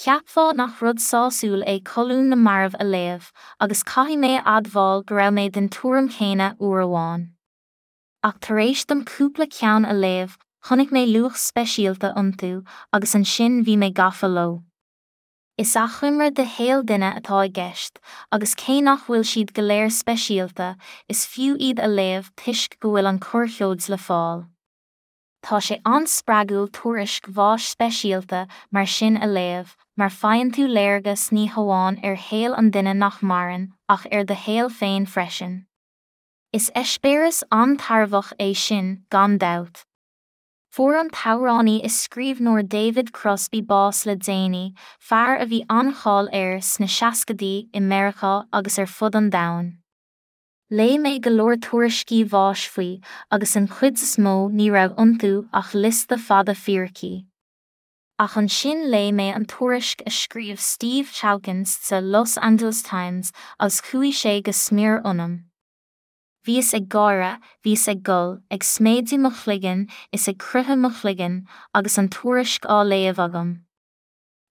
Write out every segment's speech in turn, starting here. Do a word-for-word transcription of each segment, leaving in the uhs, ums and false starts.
Cheapfá nach rud sásúil é colún na marbh a léamh, agus caithfidh mé a admháil go raibh mé den tuairim chéanna uair amháin. Ach tar éis dom cúpla ceann a léamh, chonaic mé luach speisialta iontu agus ansin bhí mé gafa leo. Is achoimre de shaol duine atá i gceist, agus cé nach bhfuil siad go léir speisialta, is fiú iad a léamh toisc go bhfuil an corrsheoid le fáil. Tá sé an-spreagúil tuairisc bháis speisialta mar sin a léamh, mar faigheann tú léargas ní hamháin ar shaol an duine nach maireann, ach ar do shaol féin freisin. Is eispéireas an-tairbheach é sin, gan dabht. Fuair an t-amhránaí is scríbhneoir David Crosby bás le déanaí, fear a bhí an-cháil air sna seascaidí i Meiriceá agus ar fud an domhain. Léigh mé go leor tuairiscí bháis faoi agus an chuid is mó ní raibh iontu ach liosta fada fíricí. Ach ansin léigh mé an tuairisc a scríobh Steve Chalkins sa Los Angeles Times agus chuaigh sé go smior ionam. Bhíos ag gáire, bhíos ag gol, ag sméideadh mo chloigeann is ag croitheadh mo chloigeann agus an tuairisc á léamh agam.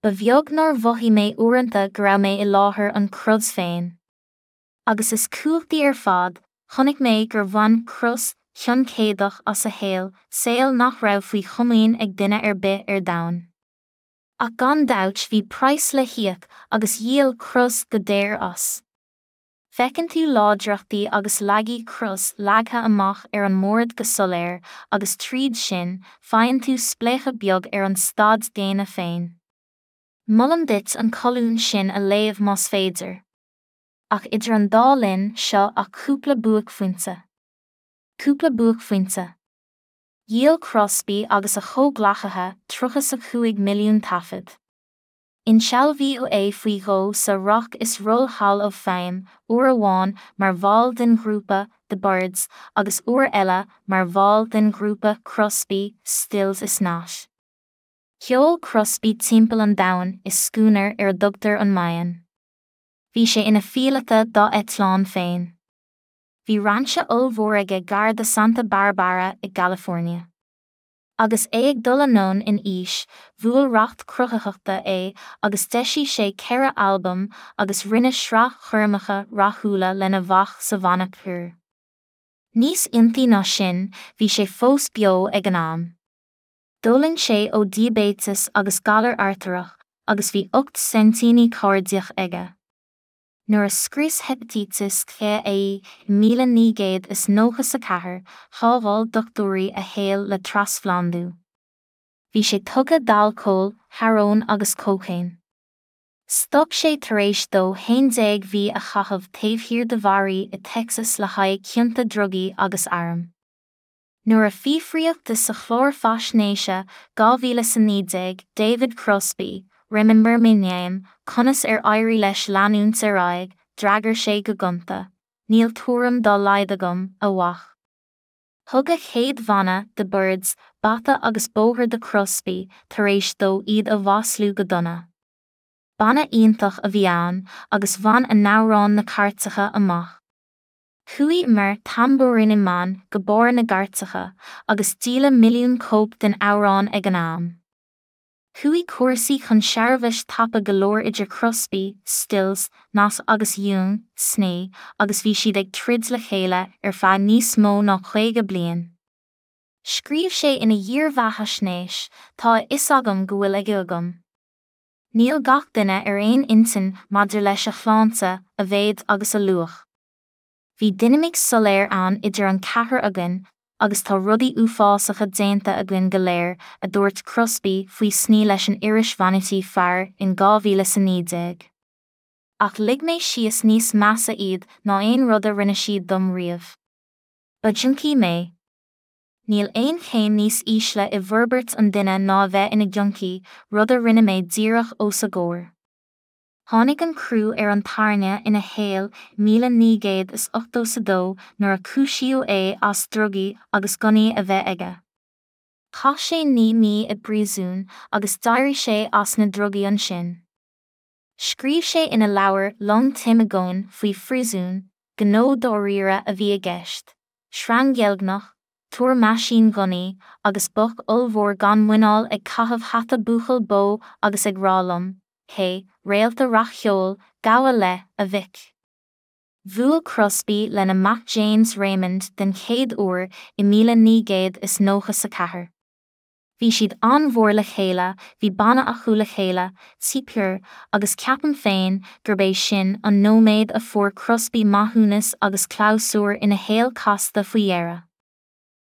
Ba bheag nár mhothaigh mé uaireanta go raibh mé i láthair an crud féin. Agus is cumhachtaí ar fad, chonaic mé gur bhain Cros cion céadach as a shaol, saol nach raibh faoi chomaoin ag duine ar bith ar domhan. Ach gan dabht bhí praghas le híoc agus dhíol Cros go daor as. Feiceann tú láidreachtaí agus laigí Cros leagtha amach ar an mbord go soiléir agus tríd sin, faigheann tú spléachadh beag ar an staid daonna féin. Molaim duit an colún sin a léamh más féidir. Ach idir an dá linn seo ach cúpla buaicphointe. Cúpla buaicphointe. Dhíol Crosby agus a chomhghleacaithe tríocha a cúig milliún taifead. Insealbhaíodh é faoi dhó sa Rock is Roll Hall of Fame, uair amháin mar bhall den ghrúpa The Byrds agus uair eile mar bhall den ghrúpa Crosby, Stills is Nash. Sheol Crosby timpeall an domhain i scúnar ar a dtugtar an Mayan. Bhí sé ina phíolóta dá eitleán féin. Bhí rainse ollmhór aige gar do Santa Barbara i gCalifornia. Agus é ag dul anonn in aois, bhuail racht cruthaitheachta é agus d'eisigh sé ceithre albam agus rinne sraith choirmeacha rathúla lena mhac sa bhanna Pure. Níos iontaí ná sin, bhí sé fós beo ag an am. D'fhulaing sé ó diaibéiteas agus galar artaireach, agus bhí ocht saintíní cairdiach aige. Nuair a scrios heipitíteas C é i míle naoi gcéad is nócha a ceathair, shábháil dochtúirí a shaol le trasphlandú. Bhí sé tugtha d'alcól, hearóin agus cócaon. Stop sé tar éis dó haon déag mhí a chaitheamh taobh thiar de bharraí i Texas le haghaidh cionta drugaí agus airm. Nuair a fiafraíodh de sa chlár faisnéise dhá mhíle is a naoi déag, David Crosby, Remember My Name, conas ar éirigh leis leanúint ar aghaidh, d'fhreagair sé go gonta, Níl tuairim dá laghad agam, a mhac. Thug a chéad bhanna, The Byrds, bata agus bóthar do Crosby tar éis dó iad a mhaslú go dona. Banna iontach a bhí ann agus bhain a n-amhráin na cairteacha amach. Chuaigh Mr Tambourine Man go barr na gcairteacha agus díoladh milliún cóip den amhrán ag an am. Chuaigh cúrsaí chun searbhais tapa go leor idir Crosby, Stills, Nash agus Young, Snee, agus bhí siad ag troid le chéile ar feadh níos mó ná caoga bliain. Scríobh sé ina dhírbheathaisnéis, Tá a fhios agam go bhfuil aige agam. Níl gach duine ar aon intinn maidir leis a shláinte, a mhéid agus a luach. Bhí dinimic soiléir ann idir an ceathrar againn, agus tá rudaí uafásacha déanta againn go léir, a dúirt Crosby faoi Snee leis an iris Vanity Fair in dhá mhíle is a naoi déag. Ach lig mé síos níos measa iad ná aon rud a rinne siad dom riamh. Ba junkie mé. Níl aon chéim níos ísle i bhforbairt an duine ná a bheith ina junkie, rud a rinne mé díreach os a gcomhair. Tháinig an crú ar an tairne ina shaol míle naoi gcéad is ochtó a dó nuair a cúisíodh é as drugaí agus gunnaí a bheith aige. Chaith sé naoi mí i bpríosún agus d'éirigh sé as na drugaí ansin. Scríobh sé ina leabhar Long Time Agoin faoi phríosún, gnó dáiríre a bhí i gceist, sreang dheilgneach, túr meaisínghunnaí agus boc ollmhór gan muineál ag caitheamh hata buachaill bó agus ag rá liom, Hé, réalta rac-cheoil, gabh i leith, a mhic. Bhuail Crosby lena mac James Raymond den chéad uair i míle naoi gcéad is nócha a ceathair. Bhí siad an-mhór le chéile, bhí banna acu le chéile, Pure, agus ceapaim féin gurb é sin an nóiméad a fuair Crosby maithiúnas agus clabhsúr ina shaol casta faoi dheireadh.